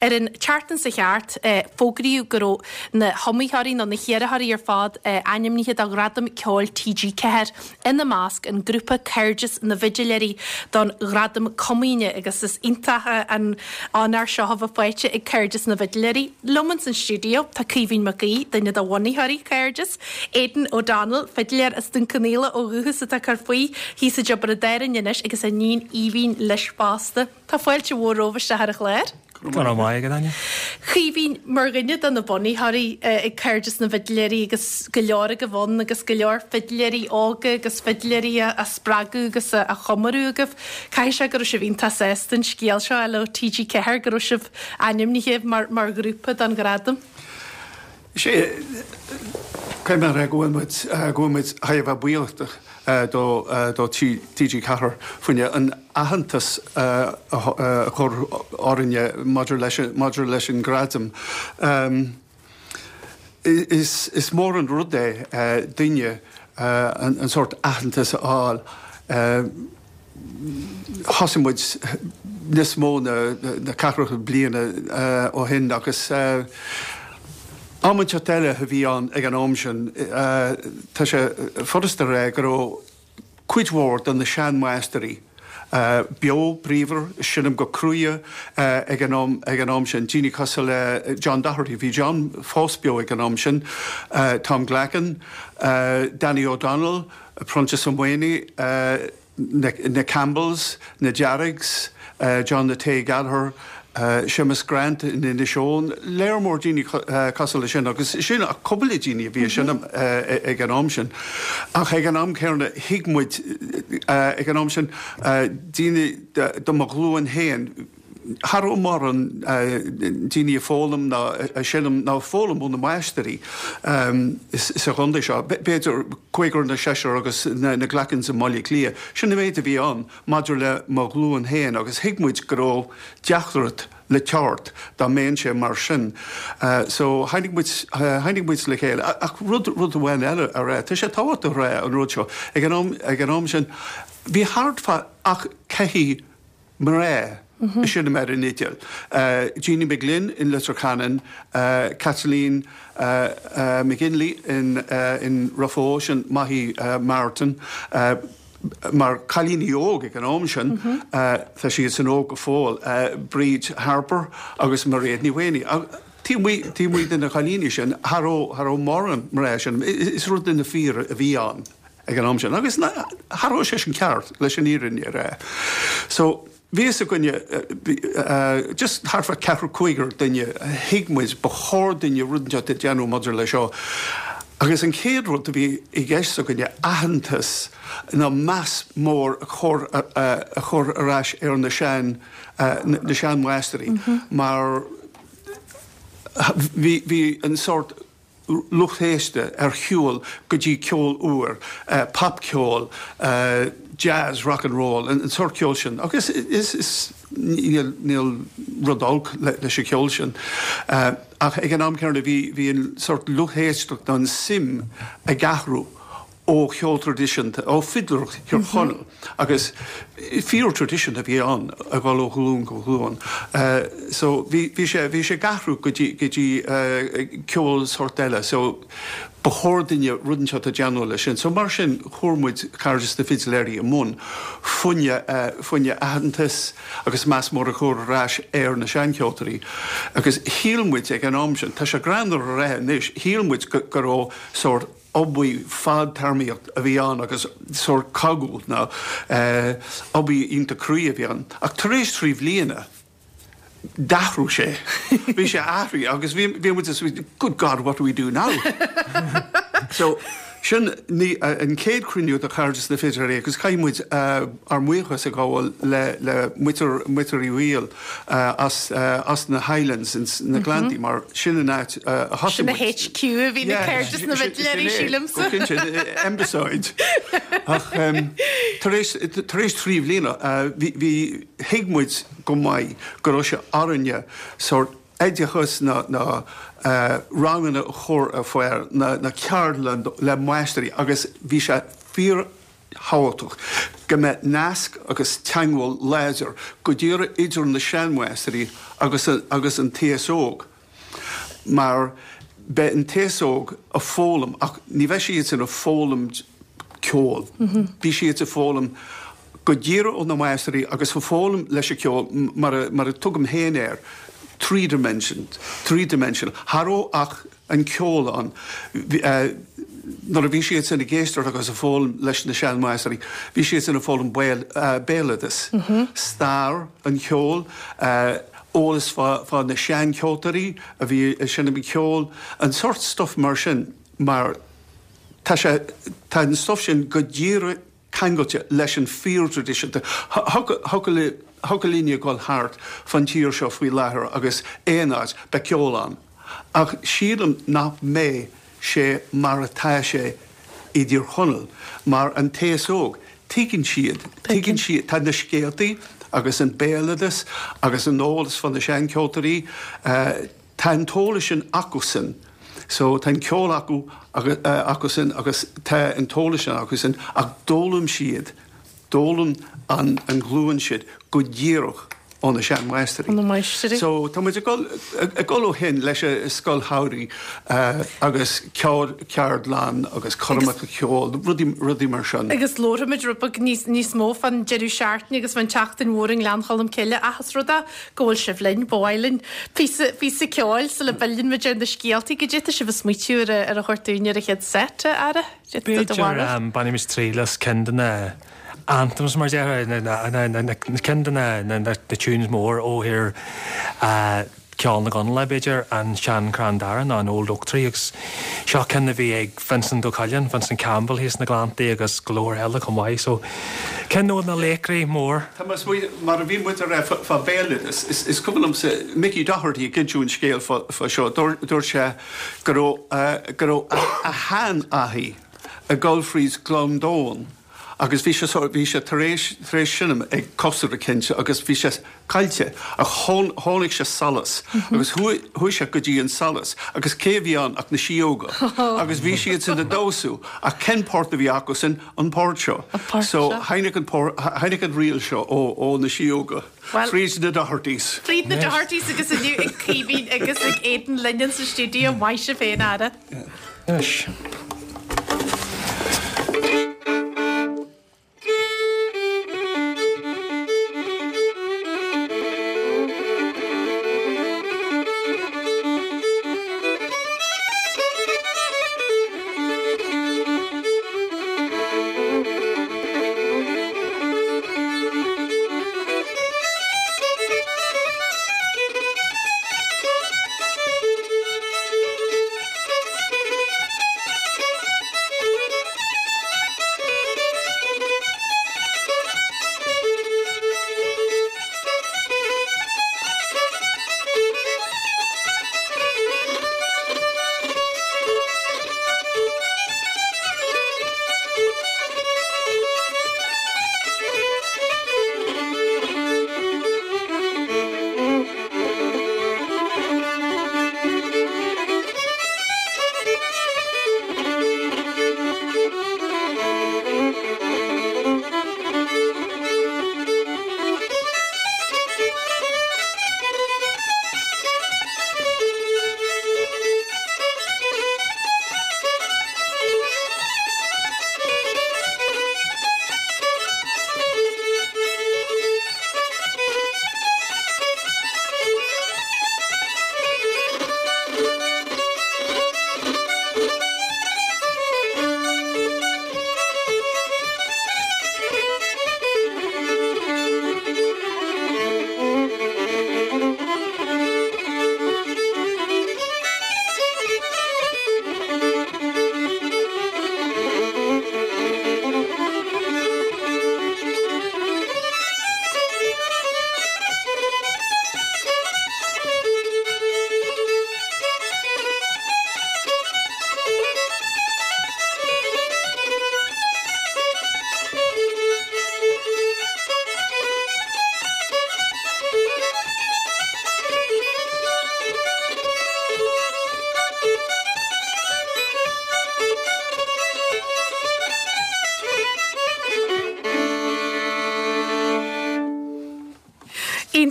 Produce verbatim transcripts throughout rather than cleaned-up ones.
Ar an tseachtain seo thart, fógraíodh go raibh na hiomaitheoirí nó na hiarrthóirí ar fad ainmnithe do Ghradam Ceoil T G Ceathair, ina measc an grúpa Cairdeas na bhFidiléirí don Ghradam Comaoine, agus is iontach an onóir seo a bheith faighte ag Cairdeas na bhFidiléirí. Liom san stiúideo tá Caoimhín Mac Aoidh, duine de bhunaitheoirí Cairdeas, Aidan O'Donnell, fidiléir as Dún Cionnaola ó dhúchas atá ag cur faoi thíos i dTiobraid Árann anois, agus a níon Aoibhín leis fosta. Tá fáilte mhór romhaibh isteach ar an chlár. Go raibh maith agat, Áine. Caoimhín, mar dhuine de na bunaitheoirí ag Cairdeas na bhFidiléirí agus go leor agaibh ann agus go leor fidiléirí óga agus fidiléirí a spreagadh agus a chomóradh agaibh, caithfidh sé go raibh sibh iontach sásta an scéal seo le T G Ceathair go raibh sibh ainmnithe mar mar ghrúpa don ghradam. Sé caithfidh mé go bhfuil muid go bhfuil muid thar a bheith buíoch do do T G Ceathair faoin an aitheantas a chur orainne maidir leis maidir leis an gradam. Is is mór an rud é duine an, an sórt aitheantas a fháil. Thosaigh muid níos mó ná na ceathracha bliana ó shin agus am inteacht eile a bhí ann ag an am sin. Tá sé furasta a rá go raibh cuid mhór de na seanmháistrí beo bríomhar, seinm go crua ag an am ag an am sin. Daoine cosúil le John Doherty, bhí John fós beo ag an am sin, Tom Glackin, Danny O'Donnell, Proinsias Ó Maonaigh, na, na Campbells, na Jarrigs, uh, John the Tay Gallagher, uh, Seamus Grant in Inis Eoghain, léir mór daoine uh, cosúil leis sin agus sin a cúpla daoine a bhí sin uh, ag an am sin. Ach ag an am céanna thuig muid uh, ag an am sin uh, daoine de mo ghlúin féin cha raibh mórán daoine ag foghlaim ná ag seinm ná foghlaim ó na máistrí sa chontae seo. B'fhéidir cúigear nó seisear agus na, na Glackens i mBaile Átha Cliath. Sin an méid a bhí ann maidir le mo ghlúin féin agus thuig muid go raibh deacracht le teacht dá mbeadh sé mar sin. Uh, so tháinig muid tháinig muid le chéile ach rud rud amháin eile a rá, Tá sé tábhachtach a rá an rud seo ag an am ag an am sin bhí thart fá ach ceathrar mná mm -hmm. sin mar an fhidil. Uh, Jeannie McGlynn in Leitir Ceanainn, uh, Kathleen uh, uh, McGinley in, uh, in Raphoe, sin Mahi uh, Martin, uh, mar cailíní óg ag an am sin, mm -hmm. uh, tá siad san óg go fóill, uh, Bríd Harper agus Mairéad Ní Mhaonaigh. Tí mu den na chailíní sin cha raibh mórán mná sin is rud do na fir a bhí ann ag an am sin. Agus cha raibh sé sin ceart leis an fhírinne a rá. So bhí a gcoinne just thart fá ceathrar cúigear duine thuig muid ba chóir dúinne rud inteacht a dhéanamh maidir le seo. Agus an chéad rud a bhí i gceist againne aitheantas ná meas mór a chur a chur ar ais ar na sean na seanmháistrí mar bhí bhí an sórt lucht éisteachta ar shiúl go dtí ceol úr, uh, popcheol, uh, jazz, rock and roll, an, an sórt ceol sin. Agus is, is níl, níl rud olc le, leis an ceol sin. Uh, ach ag an am céanna bhí bhí an sórt lucht éisteachta an suim ag athrú ó cheol traidisiúnta ó fidléireacht Thír Chonaill agus fíor tradition a bhí ann a dhul ó ghlúin go glúin. Uh, so bhí sé bhí sé ag athrú go dtí go dtí uh, ceol sórt eile, so ba chóir dúinne rud inteacht a dhéanamh leis sin. So mar sin chuir muid Cairdeas na bhFidiléirí i mbun fá choinne uh, fá choinne aitheantas agus meas mór a chur ar ais ar na seancheoltóirí. Agus shíl muid ag an am sin, Tá sé greannmhar a rá anois, shíl muid go raibh sórt obair fadtéarmach a bhí ann agus sórt cogadh ná uh, obair iontach crua a bhí ann. Ach tar éis trí bliana d'athraigh sé. Bhí sé athraithe agus bhí bhí good God, what do we do now? So sin ní uh, an chéad chruinniú de Chairdeas na bhFidiléirí agus caithfidh muid uh, ár mbuíochas a ghabháil le le muintir muintir Uí Bhaoill uh, as uh, as na Highlands in na Gleanntaí mar sin an áit uh, a Sin na H Q a bhí na Cairdeas na bhFidiléirí, sílimse. Embassy. Ach um, tar éis tar éis trí bliana uh, bhí thuig muid go maith go raibh sé orainne sórt oideachas na na uh, ranganna a chur ar fáil na, na ceardlann le máistrí agus bhí sé fíor thábhachtach go mbeidh nasc agus teagmháil láidir go díreach idir na seanmháistrí agus agus an t-aos óg. Mar beidh an t-aos óg ag foghlaim ach ní bheidh siad sin ag foghlaim ceol. Bhí siad ag foghlaim go díreach ó na máistrí agus ag foghlaim leis an ceol mar a, mar a tugaim féin air three dimension, three dimensional. Cha raibh ach an ceol ann. Nuair a bhí siad sin ag éisteacht agus ag foghlaim leis na seanmháistrí, bhí siad sin ag foghlaim béaloideas, stair an cheoil, eolas fá fá na seancheoltóirí a bhí ag seinm an cheoil, an sórt stuff mar sin mar tá sé tá an stuff sin go díreach ceangailte leis an fíorthraidisiúnta. Thiocfadh linne dul thart fan tír seo faoi láthair agus aon áit, beidh ceol ann. Ach sílim nach mbeidh sé mar atá sé i dTír Chonaill, mar an t-aos óg, tuigeann siad, tuigeann siad, tá na scéaltaí agus an béaloideas agus an eolas fá na seancheoltóirí, tá an t-eolas sin acusan. So tá an ceol acu acusan agus tá an t-eolas sin acusan ach d'fhoghlaim siad, d'fhoghlaim an an ghlúin sin go díreach ó na seanmháistrí. Ó na máistrí. So tá muid ag dul ag dul ó shin leis an scoil shamhraidh agus ceardlann agus coirmeacha ceoil, rudaí rudaí mar sin. Agus labharfaimid rud beag níos níos mó fán deireadh seachtaine agus fán tseachtain mhór i nGleann Cholm Cille ach is rud é go bhfuil sibh linn, ba mhaith linn píosa píosa ceoil sula bpilleann muid ar na scéaltaí. Goidé tá sibh ag smaoitiú ar a ar a thabhairt dúinn ar an chéad set, a Ara? B'fhéidir bainfimis triail as ceann de na anthems mar déarfá, ceann de na tunes mór ó thír ceol na gConallach, b'fhéidir, an Sean-Chrann Dara nó an Old Oak Tree agus seo ceann a bhí ag Vincent Ó Coileáin, Vincent Campbell thíos sna Gleanntaí agus go leor eile chomh maith so ceann de na laochraí mór. Tá mé ag smaoineamh, mar a bhí muid ag rá fá bhéaloideas, is cuimhin liomsa Mickey Doherty ag inseadh an scéal fá seo, dúirt sé go raibh go raibh a sheanathair ag dul fríd Gleann Domhain agus bhí sé bhí sé tar éis tar éis seinm ag cóisir eicínt agus bhí sé caillte ach chonaic sé solas agus chuaigh chuaigh sé go dtí an solas agus cé a bhí ann ach na síóga agus bhí siad sin ag damhsú ach cén port a bhí acu sin an port seo so tháinig an port tháinig an ríl seo ó ó na síóga fríd na Dohertys. Fríd na Dohertys agus inniu ag Caoimhín agus ag Aidan linn sa stiúideo maith sibh féin Ara. Anois.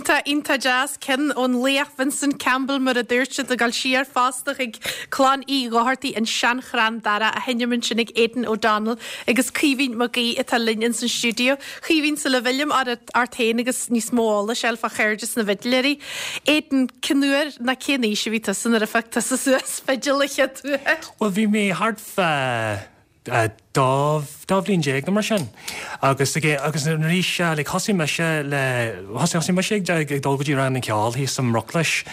Iontach, iontach deas ceann ón laoch Vincent Campbell mar a dúirt siad ag dul siar fosta ag clann Uí Dhochartaigh an Seanchrann Dara á sheinm ansin ag Aidan O'Donnell agus Caoimhín Mac Aoidh atá linn in san stiúideo. Caoimhín sula bhfillim ort féin agus níos mó eolais eile fá Chairdeas na bhFidléirí. Aidan cén uair ná cén aois a bhí tusa nuair a phioc tusa suas fidil an chéad uair. Well bhí mé thart fá dá dá bhliain déag nó mar sin. Agus agus arís le thosaigh mise le thosaigh mise ag ag dul go dtí rang na ceoil thíos sa mBruclais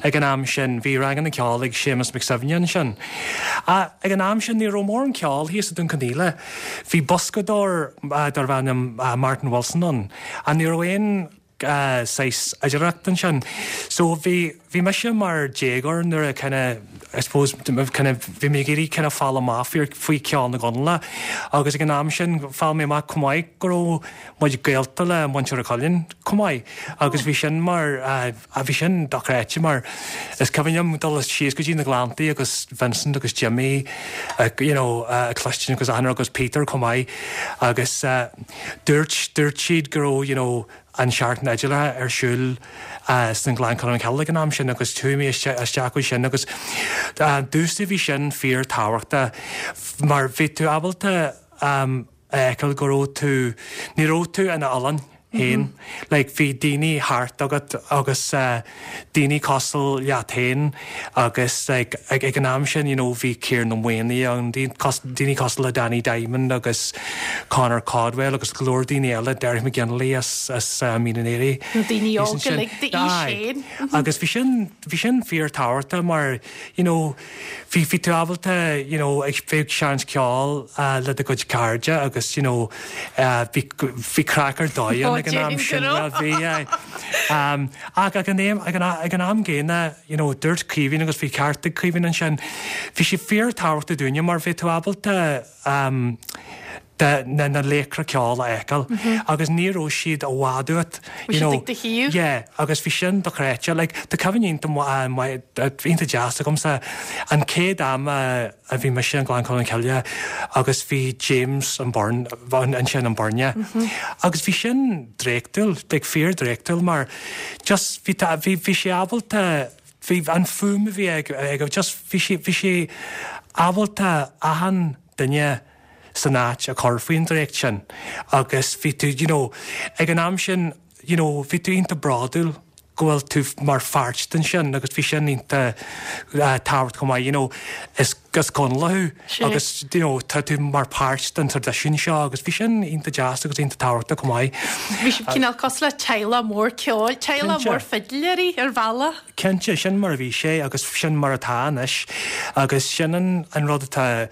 ag an am sin bhí rang na ceoil ag Séamus Mac Suibhne ansin. Ag an am sin ní raibh mórán ceoil thíos i Dún Cionnaola. Bhí boscadóir darbh ainm Martin Wilson ann, a ní raibh aon saghas oidhreacht ansin. So bhí bhí mise mar déagóir nuair a kind of I suppose kind of bhí mé ag iarraidh kind of fáil amach faoi cheol na gConallach agus ag an am sin fáil mé amach chomh maith go raibh muid gaolta le Muintir Ó Coileáin chomh maith agus bhí sin mar a bhí sin dochreidte mar is cuimhin liom dul síos go dtí na Gleanntaí agus Vincent agus Jimmy uh, you know, uh, cloistin agus Anna agus Peter chomh maith agus uh, dúirt dúirt siad go raibh you know, an seachtain fhidléireachta ar siúl uh, san Gleann Cholm Cille ag an am sin agus chuaigh mé isteach sin agus uh, dústa bhí sin fíorthábhachtach mar bhí tú ábalta um, feiceáil go raibh tú ní raibh tú in d'oileán féin. Mm -hmm. Like bhí daoine thart agat agus uh, daoine cosúil leat féin agus like, ag, ag an am sin you know, bhí Ciarán Ó Maonaigh an daoine cosúil le Danny Diamond agus Conor Caldwell agus go leor daoine eile Derek McGinley as, as uh, Mín an Aoire. Daoine óga like, féin. Agus bhí sin bhí sin fíorthábhachtach mar you know, bhí bhí tú ábalta you know, ag bheith seinnt ceoil uh, le do chuid cairde agus you know, uh, bhí bhí craic ar dóigh ag an am sin well bhí um, ach ag an am ag an ag an am gcéanna you know, dúirt Caoimhín agus bhí ceart ag Caoimhín ansin bhí sé fíorthábhachtach dúinne mar bhí tú ábalta um, de na na laochra ceoil a fheiceáil mm -hmm. agus ní raibh siad i bhfad uait you know yeah agus bhí sin dochreidte like tá cuimhne iontach deas agamsa an chéad am a bhí mise an Gleann Cholm Cille agus bhí James an Burn ansin an Burne mm -hmm. agus bhí sin draíochtúil like fíor draíochtúil mar just bhí bhí bhí sé ábalta bhí an fuaim a bhí ag ag just bhí sé bhí sé ábalta achan duine san áit a chur faoin draíocht sin agus bhí tú you know, ag an am sin you know, bhí tú iontach bródúil go bhfuil tú mar pháirt den sin agus bhí sin iontach uh, tábhachtach chomh maith you know, is gus Conallach thú agus you know, tá tú mar páirt den traidisiún seo agus bhí sin iontach deas agus iontach tábhachtach chomh maith. Bhí sibh cineál cosúil le teaghlach mór ceoil, teaghlach mór fidléirí ar bhealach. Cinnte sin mar a bhí sé agus sin mar atá anois agus sin an, an rud atá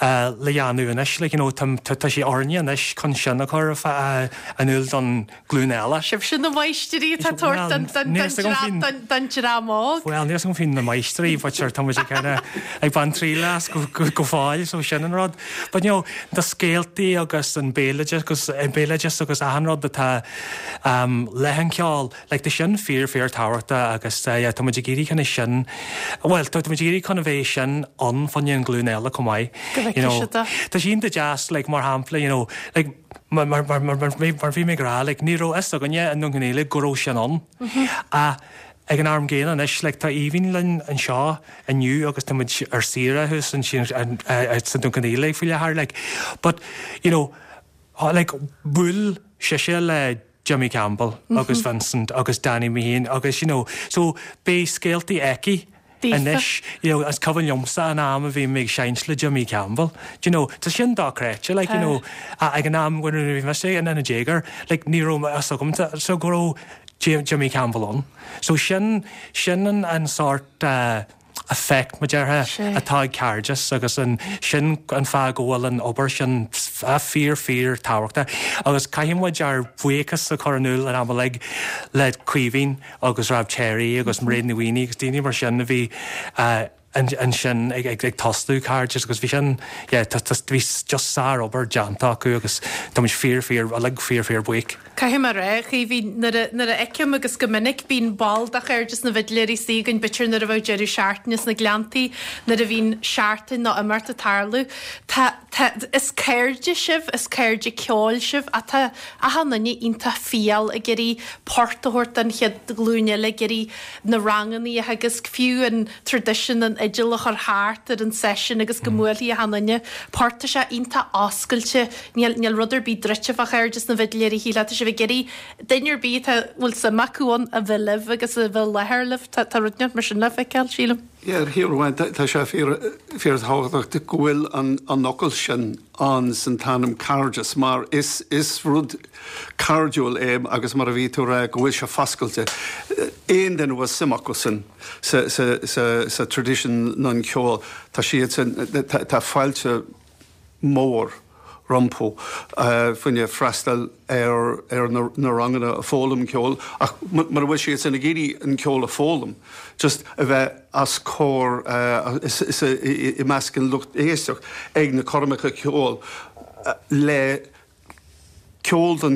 uh, le déanamh anois like, you know, tá tá sé orainne anois chun sin a chur uh, in iúl don ghlúin eile. Sibh sin na máistrí atá tabhairt don dream óg. Well, níl san fin na máistrí, but sure tá muid ag baint triail as go go fóill so sin an rud. But you know, na scéaltaí agus an béaloideas agus an béaloideas agus achan rud atá um, le an ceol, like, tá sin fíor fíorthábhachtach agus uh, yeah, tá muid ag iarraidh chun sin well tá muid ag iarraidh chun a bheith sin ann fá choinne an ghlúin eile chomh maith. You know, Tá sin de deas like, mar shampla you know, like, mar mar mar mar mar mar bhí mé ag rá like, ní raibh fhios againne i nDún Cionnaola go raibh sin ann. Mm -hmm. A ag an am gcéanna anois like, tá Aoibhín linn anseo inniu agus tá muid ar saoire thuas ansin sa Dún Cionnaola faoi láthair like but you know like bhuail sise le Jimmy Campbell mm -hmm. agus Vincent agus Danny Meehan agus you know so beidh scéaltaí aici anois you know is cuimhin liomsa an am a bhí mé ag seinnt le Jimmy Campbell do you know tá sin dochreidte like you know ag an am nuair bhí mise in ina déagóir like ní raibh fhios agam so go raibh Jimmy Campbell ann so sin sin an an sort uh, effect mar déarfá atá ag Cairdeas agus an sin an fáth go bhfuil an obair sin fíor fíorthábhachtach agus caithfidh muid ár buíochas a chur in iúl an am uilig le Caoimhín agus Rob Cherry agus Mairéad Ní Mhaonaigh agus daoine mar sin a bhí uh, ansin ag ag ag tosú Cairdeas agus bhí sin yeah, tá tá bhí just sárobair déanta acu agus tá muid fíor fíor uilig fíor fíor buíoch. Caithfidh mé a rá, a Chaoimhín, nuair a nuair a fheicim agus go minic bíonn ball de Chairdeas na bhFidléirí istigh againn b'fhéidir nuair a bheadh deireadh seachtaine sna Gleanntaí, nuair a bhíonn seachtain nó imeacht ag tarlú. Tá tá is cairde sibh, is cairde ceoil sibh ach tá achan duine iontach fial ag iarraidh port a thabhairt don chéad ghlúin eile, ag iarraidh na ranganna a theagasc, fiú an traidisiún an fhidil a chur thart ar an seisiún agus go mbuailfidh achan duine port. Tá sé iontach oscailte, níl níl rud ar bith druidte fá Chairdeas na bhFidléirí, shílfeá, tá sibh ag iarraidh duine ar bith atá bhfuil suim acu ann a bheith libh agus a bheith i láthair libh. Tá tá rud inteacht mar sin le feiceáil, sílim. Yeah, ar thaobh amháin, tá sé fíor fíorthábhachtach go bhfuil an an fhocal sin ann san t-ainm Cairdeas mar is is rud cairdiúil é agus mar a bhí tú a rá go bhfuil sé foscailte. Aon duine a bhfuil suim acu san sa sa sa sa tradition an cheoil tá siad san tá fáilte mór rompu faoine freastal ar ar na na ranganna a foghlaim ceol ach mura bhfuil siad san ag iarraidh an ceol a foghlaim just a bheith os comhair is is i measc an lucht éisteach ag na coirmeacha ceoil le ceol den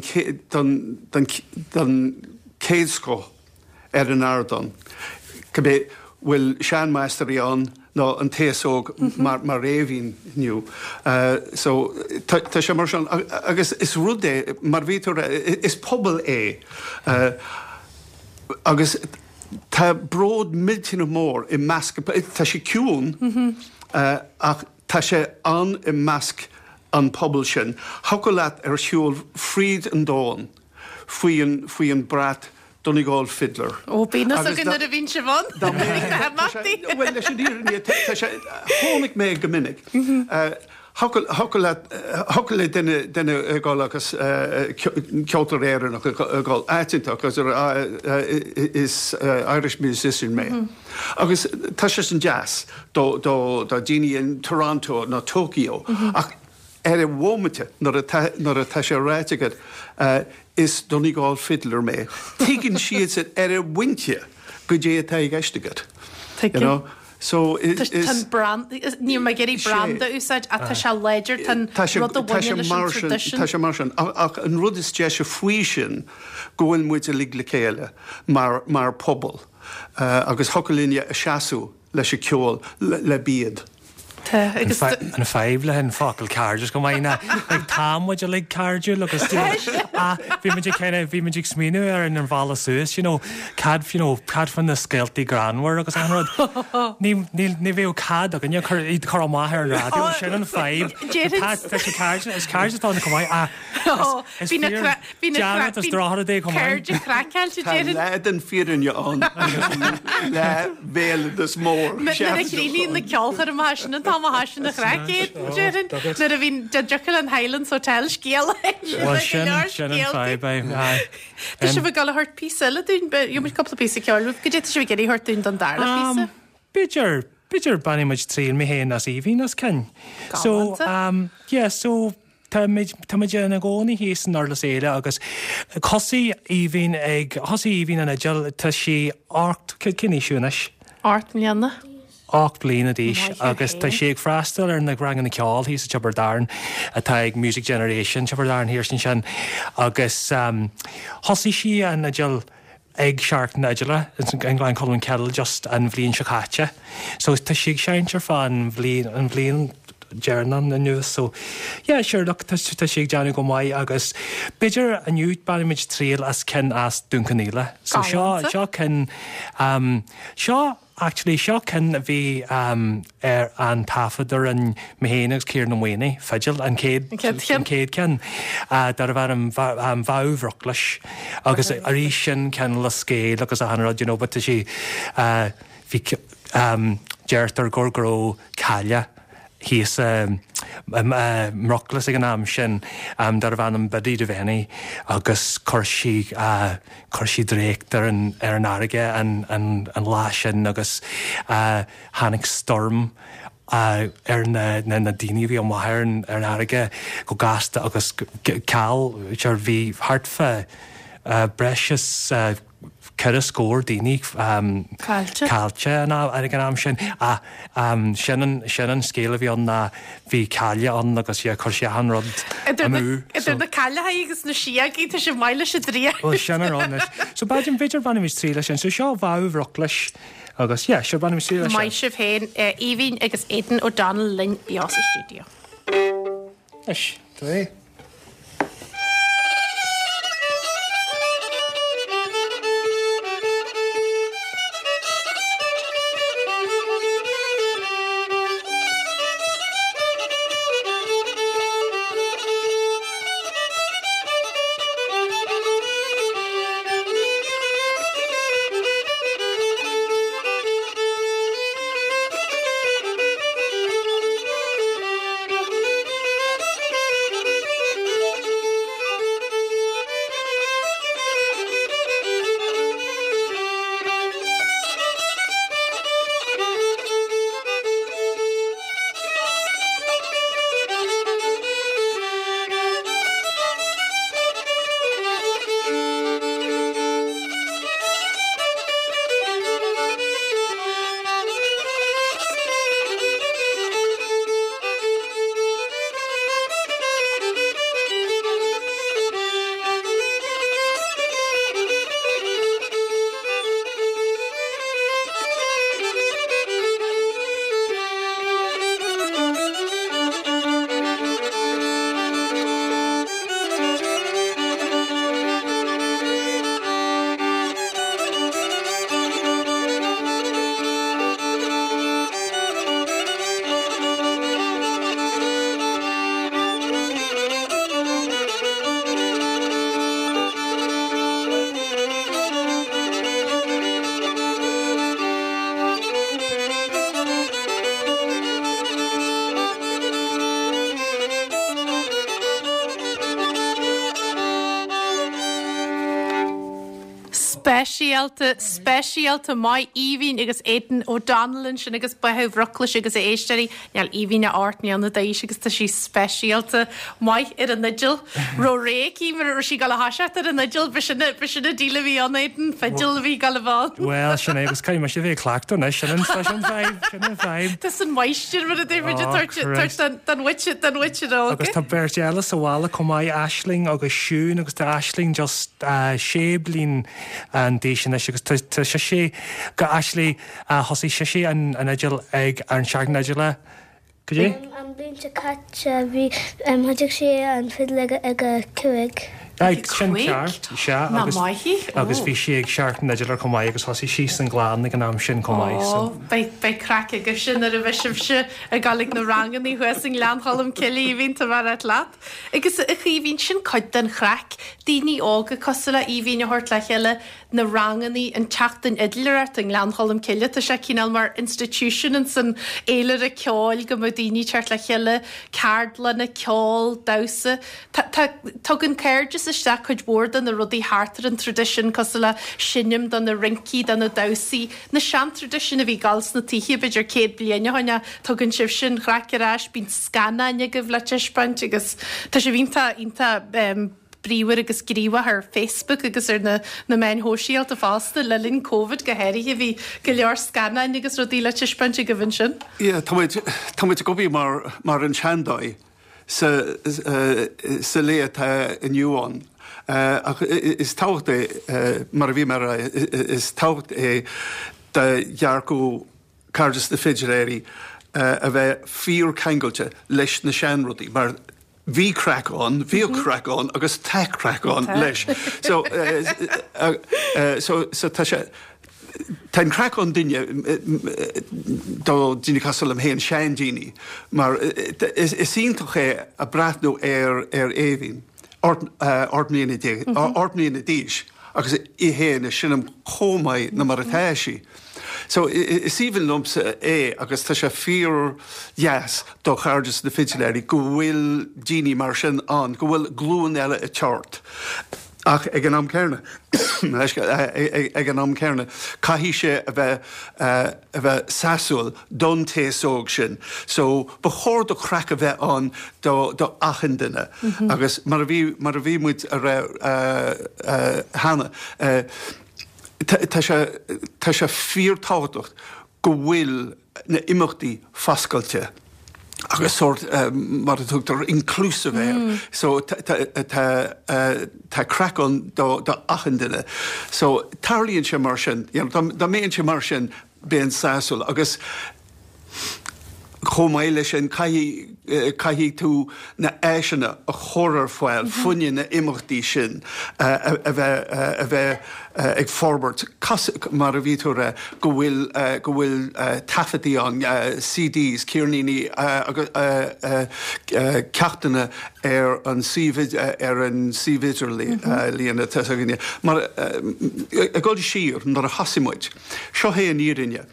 den den den chéad scoth ar an ardán. Cibé bhfuil seanmháistrí ann nó an t-aos óg mar mar Aoibhín inniu. So tá tá sé mar sin agus is rud é mar bhí tú is pobal é agus tá bród millteanach mór i measc tá sé ciúin ach tá sé ann i measc an pobal sin. Thiocfadh leat ar shiúl fríd an domhan faoi an faoi an brat Donegal Fiddler. Ó bíonn fhios againn nuair a bhíonn sibh ann. Bhuel leis an fhírinne tá sé chonaic mé go minic. Thiocfadh leat thiocfadh le duine duine ag dul agus ceoltóir Éireannach ag dul áit inteacht agus is Irish musician mé. Agus tá sé sin deas do do do daoine in Toronto nó Tokyo ach ar an bhomaite nuair atá nuair atá sé ráite agat is Donegal Fiddler mé. Tuigeann siad san ar an bpointe goidé atá i gceist agat. You know? So is Tá an brand níl mé ag iarraidh branda a úsáid ach tá sé láidir tá an rud a bhaineann leis an traidisiún. Tá sé mar sin ach an rud is deise faoi sin go bhfuil muid uilig le chéile mar mar pobal agus thiocfadh linne a seasamh leis an ceol le bíd. Tá, agus. An fadhb le an focal cairdeas go maith ná like tá muid uilig cairdiúil agus you know ah bhí muid ag kind of bhí muid ag smaoineamh ar an bhealach suas you know cad you know cad faoi na scéaltaí greannmhar agus an rud. Ní ní ní bheadh cead againne cur iad cur amach ar an raidió sin an fadhb. Déarfainn. Tá tá sé cairde is cairde atá ann chomh maith ah is Bhí na fíor cra- bhí na cra- dearmad is bhí drochar é chomh maith. cairde craiceáilte Tá déarfainn. leath den fírinne ann agus leath bhéaloideas mór. Nuair a chríochnaíonn na ceolchoirmeacha sin an t-am a thoiseann an chraic, déarfainn. Nuair a bhíonn dá dtiocfadh an Highlands Hotel scéal a inse Bhuel go sin leor sin an scéaltaí. fadhb é aye. Tá sibh ag dul a thabhairt píosa eile dúinn, gheobhaidh muid cúpla píosa ceoil uaibh. Goidé tá sibh ag iarraidh a thabhairt dúinn don darna píosa? Um, b'fhéidir b'fhéidir bainfidh muid triail mé féin as Aoibhín as cinn. So Galánta. um, yeah, so tá muid tá muid ina gcónaí thíos in Durlas Éile agus thosaigh Aoibhín ag thosaigh Aoibhín an fhidil tá sí ocht cén aois thú anois? Ocht mbliana. ocht bliana d'aois Maith thú agus tá féin. sí ag freastal ar na ranganna ceoil thíos i Tiobraid Árann atá ag Music Generation Tiobraid Árann thiar ansin agus um, thosaigh sí an fhidil ag Seachtain na Fidile in Gleann Cholm Cille just an bhliain seo caite. So tá sí ag seinnt ar feadh an bhliain an bhliain deireanach anuas so yeah sure look tá tá sí ag déanamh go maith agus b'fhéidir inniu bainfimid triail as cinn as Dún Cionnaola. So seo Galánta. seo cinn um, seo actually seo cinn a bhí um, ar an taifead ar an mé féin agus Ciarán Ó Maonaigh fidil an chéad An chéad cheann. an chéad ceann uh, darbh ainm um, Vow Bhruclais agus arís sin ceann le scéal agus achan rud you know, but tá sí uh, bhí um, deirtear gur go raibh cailleach thíos um, um, uh, mBruclas ag an am sin um, darbh ainm Biddy Devaney agus chuir sí uh, chuir sí dréacht ar an, ar an fharraige an, an, an lá sin agus uh, tháinig stoirm uh, ar na, na, na daoine bhí amach ar an, ar an fharraige go gasta agus ceal sure bhí thart fá uh, breis is uh, ceithre scór daoine Caillte. caillte ag an am sin. Ah, um, sin an sin an scéal a bhí ann ná bhí caille ann agus yeah, chuir sé an rud Idir na- amú. Idir na cailleacha agus na síogaí tá sé maith leis an draíocht. Well, sin an rud anois. So b'fhéidir b'fhéidir bainfimid triail as sin. So seo Báthadh Bhruclais agus yeah, sure bainfimid triail as sin. Maith sibh féin Aoibhinn agus Aidan O'Donnell linn beo sa stiúideo. Anois, tá é. Speisialta speisialta maith Aoibhinn agus Aidan O'Donnell ansin agus Báthadh Bhruclais agus a éisteoirí níl Aoibhinn ach ocht mbliana d'aois agus tá sí speisialta maith ar an fhidil. Ro réicí mar a sí gal a thoiseacht ar an fhidil b'shin b'shin an deal a bhí ann Aidan fidil a bhí gal a bheith. Well, sin é agus caithfidh mise bheith ag cleachtadh anois sin an sin vibe sin an vibe. Tá san mháistir mar a deir Oh, Christ. don witch don witch Agus tá beirt eile sa bhaile chomh maith Aisling agus Siún agus tá Aisling just uh, sé bliain an d'aois anois agus tá tá sé sé go actually uh, thosaigh sé sé an an fhidil ag an seachtain fhidile. Cad é? An bhliain seo caite bhí thosaigh sé an fidil ag ag a cúig. Ag sin cúig? ceart sea Ná agus maith agus bhí sí ag seachtain fhidile chomh maith agus thosaigh sí san gclann ag an am sin chomh maith. So. Beidh beidh craic agaibh sin ar a bheith sibhse ag dul ag na ranganna thuas i nGleann Cholm Cille bhíonn tá mar leat. Agus a Chaoimhín sin cuid den chraic, daoine óga cosúil le Aoibhinn a thabhairt le chéile na ranganna an tseachtain fhidléireachta i nGleann Cholm Cille tá sé cineál mar institution in san fhéilire ceoil go mbeadh daoine teacht le chéile ceardlanna ceol damhsa. Tugann Cairdeas isteach cuid mhór de na rudaí thart ar an tradition cosúil le seinm do na rincí do na damhsaí, na sean-tradition a bhí gal sna tithe b'fhéidir céad bliain ó shin tugann sibh sin chraic ar ais bíonn scannáin agaibh le taispeáint agus tá sibh iontach iontach um, bríomhar agus gníomhach ar Facebook agus ar na, na meáin shóisialta fosta le linn Covid go háirithe bhí go leor scannáin agus rudaí le taispeáint agaibh ansin. Yeah, tá muid tá muid ag obair mar mar an seandóigh sa uh, sa lá atá inniu ann. Uh, ach is tábhacht é uh, mar a bhí mar is tábhacht é de dhearcadh Cairdeas na bhFidléirí uh, a bheith fíorcheangailte leis na seanrudaí, mar bhí craic ann, bhí craic ann agus tá craic ann leis. So, uh, uh, uh, so, so tá sé Tá an craic ann duine do daoine cosúil liom féin seandaoine, mar is, is iontach é a breathnú ar ar Aoibhinn ocht mbliana ocht mbliana d'aois agus í féin ag seinm chomh maith ná mar atá sí. So is aoibhinn liomsa é agus tá sé fíor dheas do Chairdeas na bhFidléirí go bhfuil daoine mar sin ann, go bhfuil glúin eile ag teacht. Ach ag an am céanna ag an am céanna caithfidh sé a bheith a bheith sásúil don t-aos óg sin. So ba chóir do chraic a bheith ann do do achan duine. Agus mar a bhí mar a bhí muid a rá cheana. Tá sé tá sé fíorthábhachtach go bhfuil na imeachtaí foscailte. agus sort uh, mar a tugtar inclusive air. Mm. So tá craic ann do do achan duine. So tarlaíonn sé mar sin, you know, dá mbíonn sé mar sin bíonn sásúil agus chomh maith leis sin caithfidh tú na háiseanna a chur ar fáil fá choinne na imeachtaí sin a bheith a bheith ag forbairt mar a bhí tú rá go bhfuil go bhfuil taifeadtaí ann CDs, ceirníní ceachtanna ar an suíomh ar an suíomh idirlíon atá againne. Mar ag dul siar nuair a thosaigh muid. Seo é an fhírinne.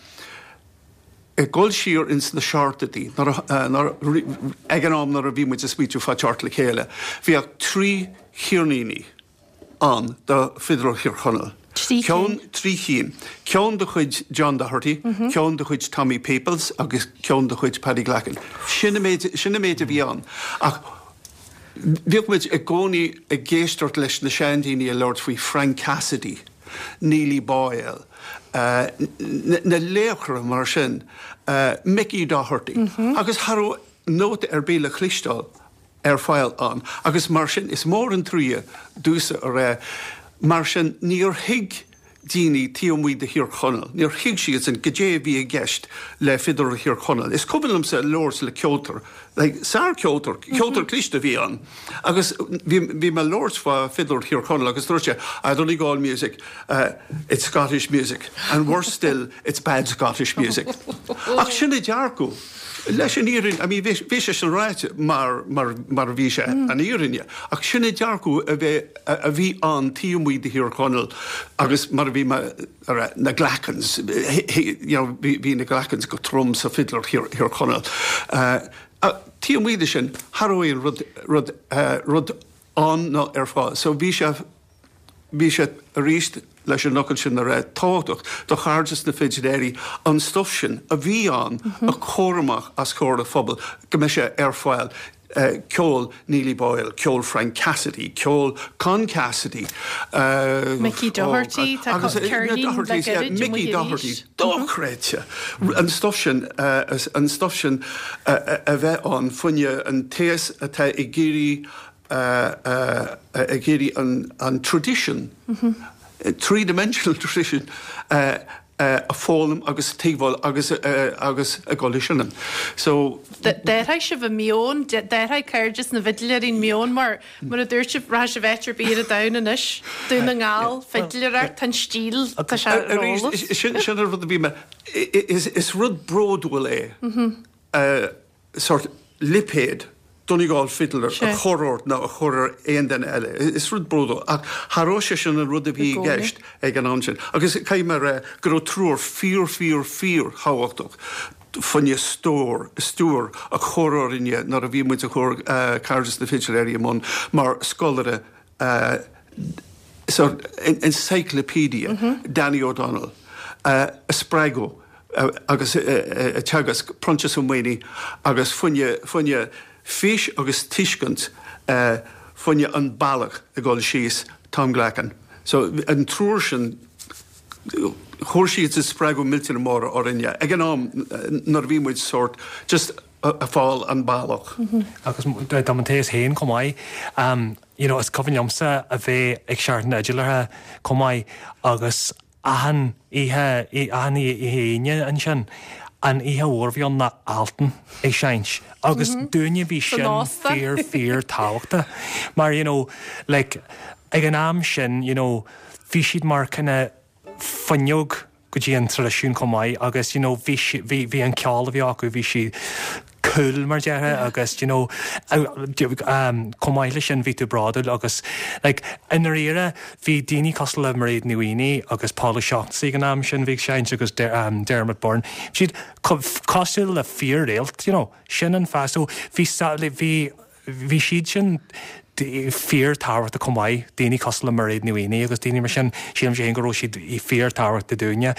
ag dul siar ins na seachtóidí ag an am nuair a bhí muid ag smaoitiú fá teacht le chéile. Bhí ach trí cheirníní ann do Fidléirí Thír Chonaill. Ceann trí cinn. Ceann de chuid John Doherty, mm -hmm. ceann de chuid Tommy Peoples agus ceann de chuid Paddy Glackin. Sin sin méid a bhí ann. Ach bhíodh muid i gcónaí ag éisteacht leis na seandaoine ag labhairt faoi Frank Cassidy, Neely Boyle, uh, na laochra mar sin, uh, Mickey Doherty, mm -hmm. agus cha raibh nóta ar bith le cloisteáil ar fáil ann. Agus mar sin is mór an trua domhsa a rá, mar sin níor thuig daoine taobh amuigh de Thír Chonaill. Níor thuig siad sin goidé a bhí i gceist le Fidléirí Thír Chonaill. Is cuimhin liomsa labhairt le ceoltóir, like, sárcheoltóir, ceoltóir cliste a bhí ann. Agus bhí mé ag labhairt fá Fidléirí Thír Chonaill agus dúirt sé, I Donegal music, uh, it's Scottish music, and worse still, it's bad Scottish music. Ach sin é dearcadh. Leis an fhírinne, I mean, bhí sé sin ráite mar, mar, mar bhí sé mm. an fhírinne, ach sin é dearcadh a bheith a bhí ann taobh amuigh de Thír Chonaill agus mar a bhí na Glackens, bhí na Glackens go trom sa Fidléirí Thír Chonaill. Uh, taobh amuigh de sin cha raibh aon rud, rud, uh, rud ann ná ar fáil. So bhí sé bhí sé arís leis an fhocal sin a rá tábhachtach do Chairdeas na bhFidléirí an stuff sin a bhí ann mm -hmm. a chur amach os comhair an phobail go mbeidh sé ar fáil. Uh, ceol Neely Boyle, ceol Frank Cassidy, ceol Con Cassidy. Uh, Mickey Doherty, oh, agus, uh, Mickey Doherty, dochreidte. An stuff sin uh, an stuff sin uh, a bheith ann fá choinne an t-aos atá ag iarraidh ag iarraidh an, an tradition. Mm -hmm. three-dimensional tradition uh, uh, a fhoghlaim agus tuigbheáil agus uh, agus a ghoil sin. So D'athraigh sibh an meon, d'athraigh Cairdeas na bhFidléirí an meon mar mar a dúirt sibh rachadh sibh áit ar bith ar domhan anois Dún na nGall fidléireacht an stíl tá sé sin sin an rud a bhí mé is rud bródúil é mm-hmm. sort lipéad Donegal fiddler a chur ort ná a chur ar aon duine eile. Is rud bródúil ach cha raibh sé sin an rud a bhí i gceist ag an am sin. Agus caithfidh mé rá go raibh triúr fíor fíor fíor thábhachtach fá choinne stiúir stiúir a chur orainne nuair a bhí muid ag cur Cairdeas na bhFidléirí i mbun mar scoláire uh, so encyclopedia mm -hmm. Danny O'Donnell uh, a spreagadh uh, agus uh, uh, teagasc Proinsias Ó Maonaigh agus fá choinne fá choinne fís agus tuiscint uh, fá choinne an bealach ag dul síos Tom Glackin. So an triúr sin chuir siad is spreagadh millteanach mór orainne. Ag an am nuair bhí muid sort just ag fáil an bealach. Mm -hmm. Agus dá an t-aos féin chomh maith um, you know, is cuimhin liomsa a bheith ag Seachtain na bhFidléirí chomh maith agus achan oíche achan oíche ansin. An oíche mhór bhí na Altan ag seinnt agus mm -hmm. dúinne bhí sin fíor fíor tábhachtach mar you know, like, ag an am sin you know, bhí siad mar kind fuinneog go dtí an traidisiún chomh maith agus you know, bhí bhí bhí an ceol a bhí acu bhí sí cool mar déarfá agus you know, um, chomh maith leis sin bhí tú bródúil agus like, in éire bhí daoine cosúil le Mairéad Ní Mhaonaigh agus Paul O'Shaughnessy an am sin bhí seinnt agus um, Dermot Byrne. Siad cosúil le fíorréalt, you know, sin an fáth so bhí bhí bhí siad sin fíorthábhachtach chomh maith daoine cosúil le Mairéad Ní Mhaonaigh agus daoine mar sin sílim sé go raibh siad i fíorthábhachtach dúinne.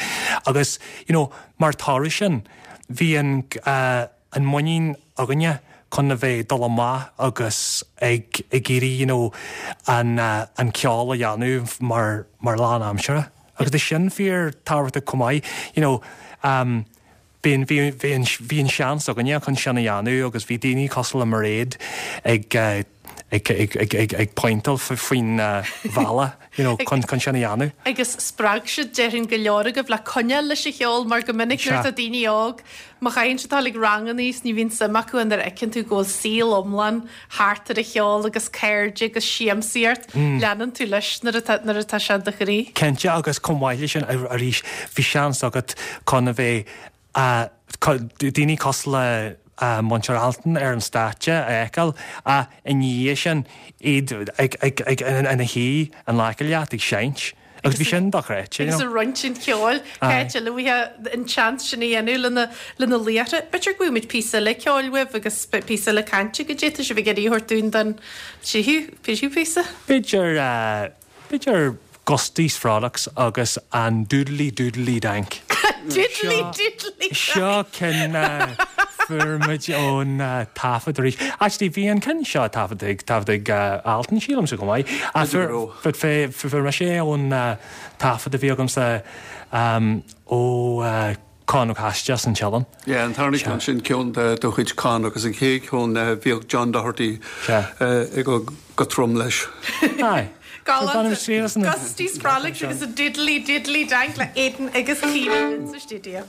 Agus you know, mar thoradh sin bhí an uh, an muinín againne chun a bheith dul amach agus ag ag iarraidh you know, an, uh, an ceol a dhéanamh mar, mar lánaimseartha. Agus tá sin fíor tábhachtach chomh maith, you know, um, bhí bhí an seans againne chun sin a dhéanamh agus bhí daoine cosúil le Mairéad ag uh, ag ag ag ag ag pointeáil faoin uh, bhealach you know, chun chun sin a dhéanamh. Agus spreag siad déarfainn go leor agaibh le coinneáil leis an cheol mar go minic nuair atá daoine óg má chailleann siad ag ranganna is ní bhíonn suim acu nuair a fheiceann tú go bhfuil saol iomlán thart ar an cheol agus cairde agus siamsaíocht leanann tú leis nuair atá nuair atá sé i do chroí. Cinnte agus chomh maith leis sin arís bhí seans agat chun a bheith uh, daoine cosúil le uh, Múinteoir Altan ar an stáitse a fheiceáil a i ndiaidh sin iad ag ag ag ina shuí in aice leat ag seinnt. Agus bhí sin dochreidte. Agus ag roinnt an cheoil cé luaithe an seans sin a dhéanamh lena lena laochra. B'fhéidir go bhfuil píosa eile ceoil uaibh agus píosa eile cainte go dté sibh ag iarraidh a thabhairt dúinn don tríú tríú píosa. B'fhéidir uh, b'fhéidir Gusties Frolics agus an Doodly Doodly Dank. Doodly Doodly Seo ceann fuair muid ón taifead arís. Actually bhí an ceann seo taifead ag taifead ag Altan sílimse go maith. But fuair mise ón taifead a bhí agamsa ó Con Ó Caiside san Teileann. Yeah, an tarna ceann sin ceann de do chuid Con agus an chéad ceann bhíodh John Doherty ag go trom leis. Aye. Gusties Frolics agus a Diddly Diddly Dank le Aidan agus Caoimhín sa stiúideo.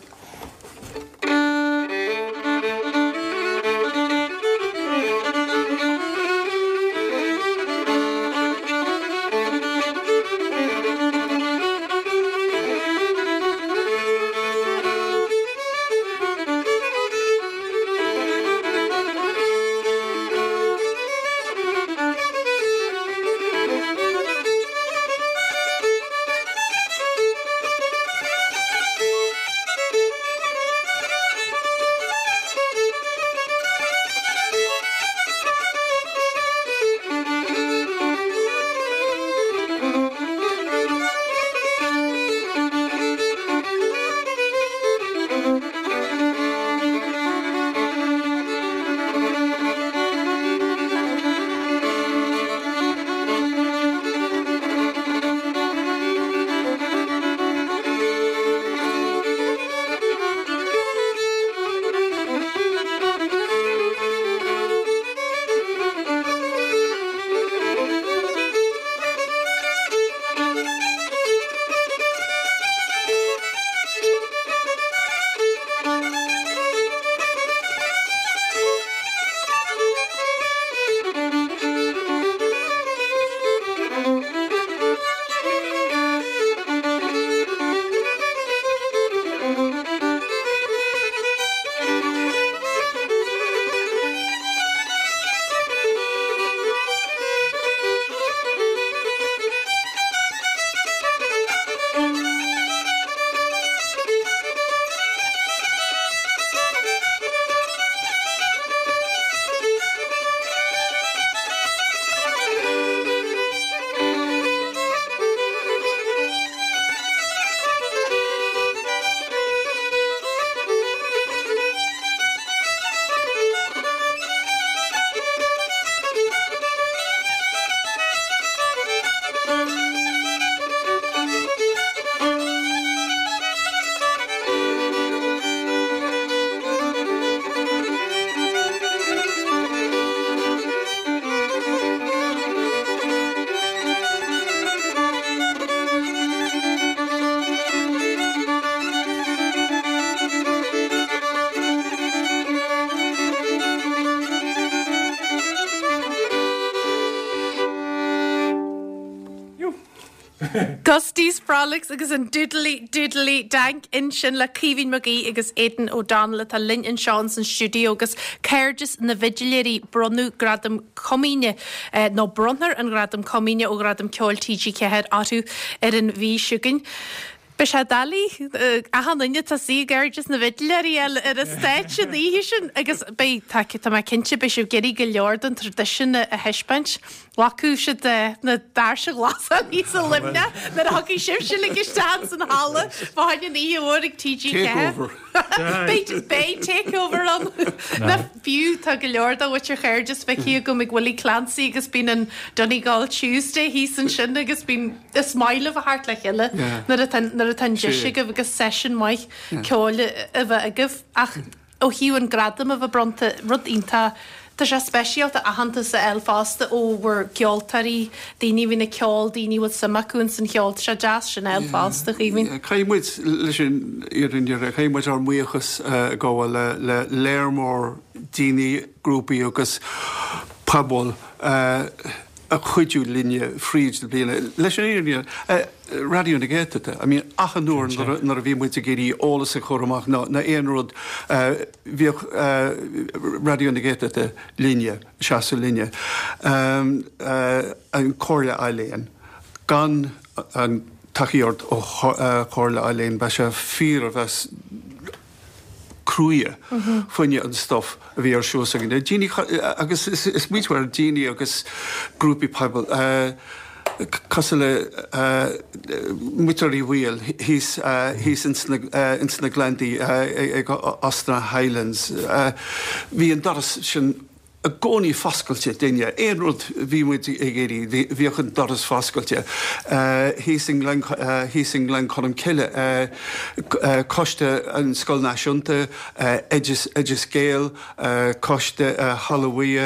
Gusties Frolics agus an Doodly Doodly Dank ansin le Caoimhín Mac Aoidh agus Aidan O'Donnell atá linn anseo san stiúideo agus Cairdeas na bhFidléirí bronnadh gradam comaoine eh, nó bronnfar an gradam comaoine ó Ghradam Ceoil TG Ceathair orthu ar an mhí seo chugainn. Beidh sé doiligh achan duine atá suí i gCairdeas na bhFidléirí ar ar an stáitse an oíche sin agus beidh tá tá mé cinnte beidh sibh ag iarraidh go leor den traidisiún a thaispeáint. Bhfaca siad na doirse glasa thíos i Luimneach nuair a thiocfaidh sibhse uilig isteach san halla fá choinne an oíche mhór ag T G ceathair. Beidh beidh takeover ann. Ná fiú tá go leor de mhuintir Chairdeas feicthe agam ag Willie Clancy agus bíonn an Donegal Tuesday thíos ansin agus bíonn is maith libh a theacht le chéile nuair atá nuair atá an deis agaibh agus seisiún maith ceoil a bheith agaibh. Ach ó thaobh an gradam a bheith bronnta, rud iontach, tá sé speisialta aitheantas a fháil fosta ó bhur gceoltóirí, daoine a bhíonn ag ceol, daoine a bhfuil suim acu ins an cheol, tá sé deas sin a fháil fosta, a Chaoimhín. Caithfidh muid, leis an fhírinne, caithfidh muid ár mbuíochas a ghabháil le le léar mór daoine, grúpaí agus pobail a chuidiú linne fríd na bliana. Leis an fhírinne, Raidió na Gaeltachta, I mean, achan uair nuair a bhí muid ag iarraidh eolas a chur amach nó aon rud, bhíodh Raidió na Gaeltachta linne, seasamh linne. An Chomhairle Ealaíon, gan an tacaíocht ó Chomhairle Ealaíon, bheadh sé fíor a bheith cruaidh fá choinne an stuff a bhí ar siúl s'againne. Daoine, agus is muid ar daoine agus grúpaí pobail cosúil le Muintir Uí Bhaoill thíos thíos ins na ins na Gleanntaí ag Óstán Highlands. Bhí an doras sin i gcónaí foscailte d'éinne. Aon rud bhí muid ag iarraidh, bhíodh an doras foscailte. Thíos i nGleann, thíos i nGleann Cholm Cille, Coiste an Scoil Náisiúnta, Oideas, Oideas Gael, Coiste Halla Bhuí,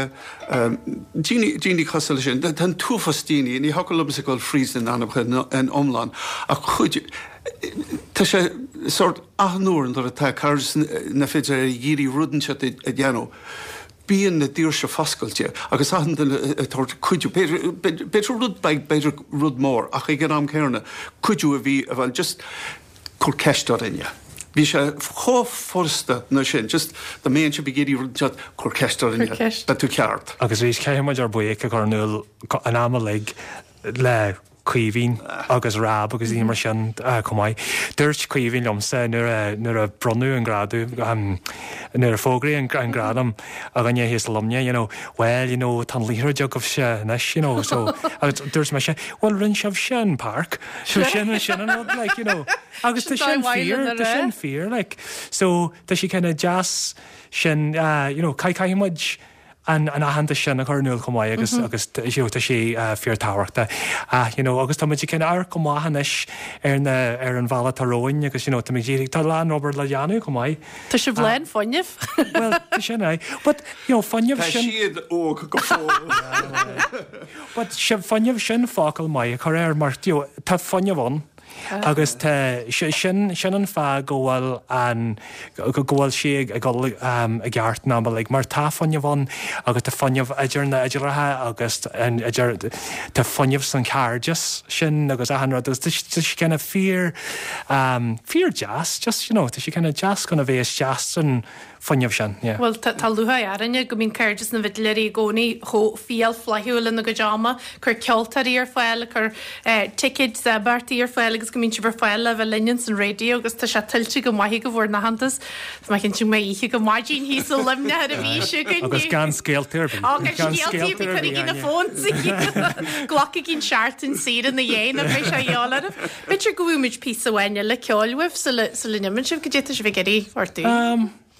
daoine, daoine cosúil leis sin. Tá an t-uafás daoine, ní thiocfadh liomsa dul fríd na n-ainmneacha in iomlán, ach chuid, tá sé sórt achan uair nuair atá Cairdeas na bhFidléirí ag iarraidh rud inteacht a dhéanamh, Bíonn na doirse foscailte agus achan duine ag tabhairt cuidiú, b'fhéidir rud beag, b'fhéidir rud mór, ach ag an am céanna, cuidiú a bhí, bhuel, just cur ceist orainne. Bhí sé chomh furasta ná sin, just dá mbeadh sibh ag iarraidh rud inteacht, cur ceist orainne, beidh tú ceart. Agus arís, caithfidh muid ár buíochas a chur in iúl an am uilig le Caoimhín agus Rab agus daoine mar sin chomh maith. Dúirt Caoimhín liomsa nuair a nuair a bronnadh an gradam, nuair a fógraíodh an gradam againne thíos i Luimneach, you know, well, you know, tá an liathróid agaibhse anois, you know, so, agus dúirt mise, well, rinne sibhse an páirc, so sin sin an rud, like, you know, agus tá sin fíor, tá sin fíor, like, so tá sé kind of deas sin, you know, caithfidh muid, an an aitheantas sin a chur in iúl chomh maith agus agus you know tá sé fíorthábhachtach. Ah you know agus tá muid ag kind of amharc amach anois ar na ar an bhealach atá romhainn agus you know tá muid ag tá a lán obair le déanamh chomh maith. Tá sibh lán fuinnimh. Well tá sin é. But you know fuinneamh Tá sin siad óg go fóill. But sin fuinneamh sin focal maith a chur air mar you know tá fuinneamh ann. Agus tá, sin, sin an fáth go bhfuil an, go bhfuil sé ag dul i gceart an am uilig, mar tá fuinneamh ann agus tá fuinneamh idir na fidléirí agus an, idir, tá fuinneamh san chairdeas sin agus achan rud agus tá sé kind of fíor, fíor deas, just, you know, tá sé kind of deas chun a bheith isteach san fuinneamh sin, yeah. Bhuel, tá lúcháir orainne go mbíonn Cairdeas na bhFidléirí i gcónaí chomh fial flaithiúil ina gcuid ama, ag cur ceoltóirí ar fáil, ag cur ticéid d'imeachtaí ar fáil agus go mbíonn sibh ar fáil le bheith linn ins an raidió agus tá sé tuillte go maith agaibh bhur n-aitheantas. Tá mé cinnte go mbeidh oíche go maidin thíos i Luimneach ar an mhí seo chugainn. Agus gan scéalta ar bith. Ó, gan scéalta ar bith, cuirigí na phones. Glacaigí an seachtain saor ina dhiaidh nó beidh sé a dhíobháil oraibh. B'fhéidir go bhfaighidh muid píosa amháin eile ceoil uaibh sula n-imíonn sibh, goidé tá sibh ag iarraidh orthu.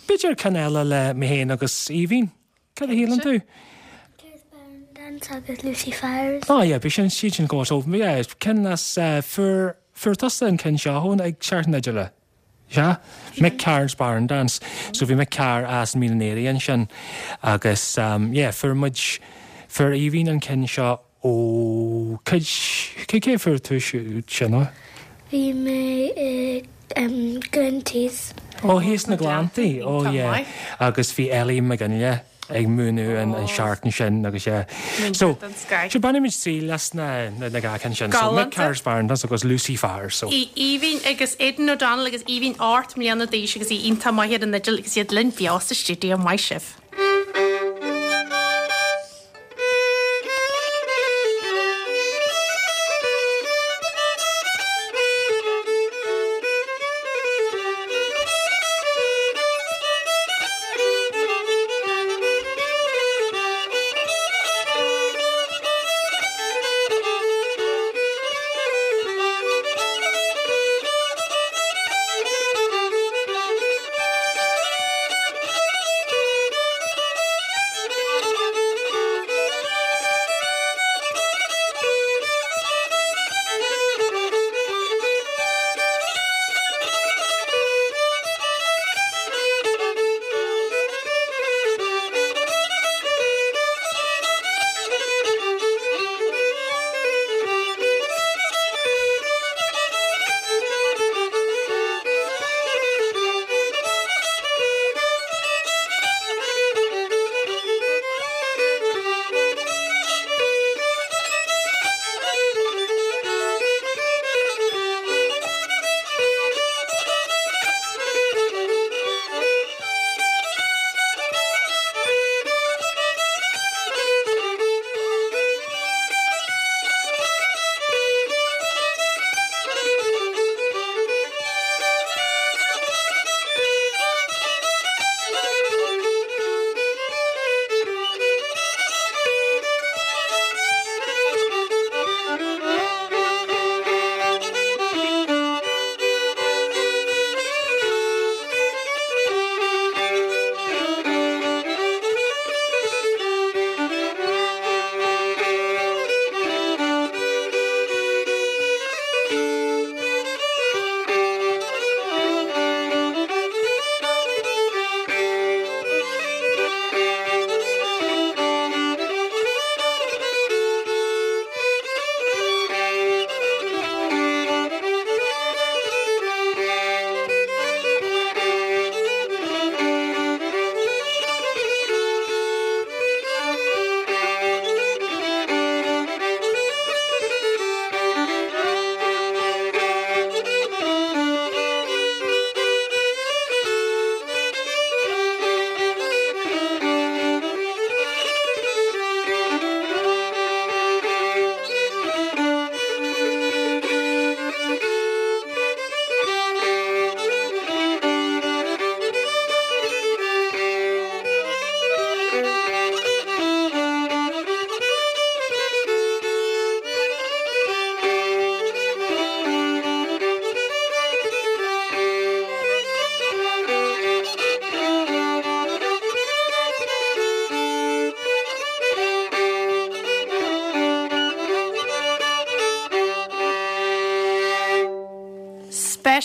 B'fhéidir ceann eile le mé féin agus Aoibhín. Cad a shíleann tú? Mick Carr's Barn Dance agus Lucy Fowers. Oh yeah, bhí sin siad sin go so yeah, ceann as fuair fuair tusa an ceann seo ón ag Seachtain na Fidile. Sea? Mick Carr's Barn Dance. So bhí Mick Carr as Mín an Aoraigh ansin agus um yeah, fuair muid fuair Aoibhín an ceann seo ó cad cé cé fuair tú sin ó? Bhí mé i Glenties. Ó thíos sna Gleanntaí, ó yeah. Agus bhí Ellie McGinley ag múineadh an seachtain sin agus yeah. So, sure bainfimid triail as na na dhá ceann sin. So Mick Carr's Barn Dance agus Lucy Fowers. So. Aoibhín agus Aidan O'Donnell agus Aoibhín ocht mbliana d'aois agus í iontach maith ar an fhidil agus iad linn beo sa stiúideo. Maith sibh.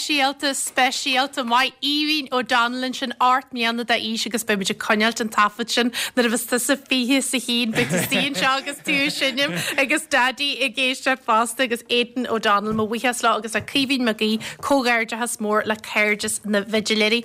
Speisialta speisialta maith Aoibhinn O'Donnell ansin ocht mbliana d'aois agus beimid ag coinneáilt an taifead sin nuair a bheas tusa fiche is a haon beidh tú anseo agus tú ag seinm agus Daidí ag éisteacht fosta agus Aidan O'Donnell mo bhuíochas leo agus le Caoimhín Mag Aoidh comhghairdeachas mór le Cairdeas na bhFidiléirí.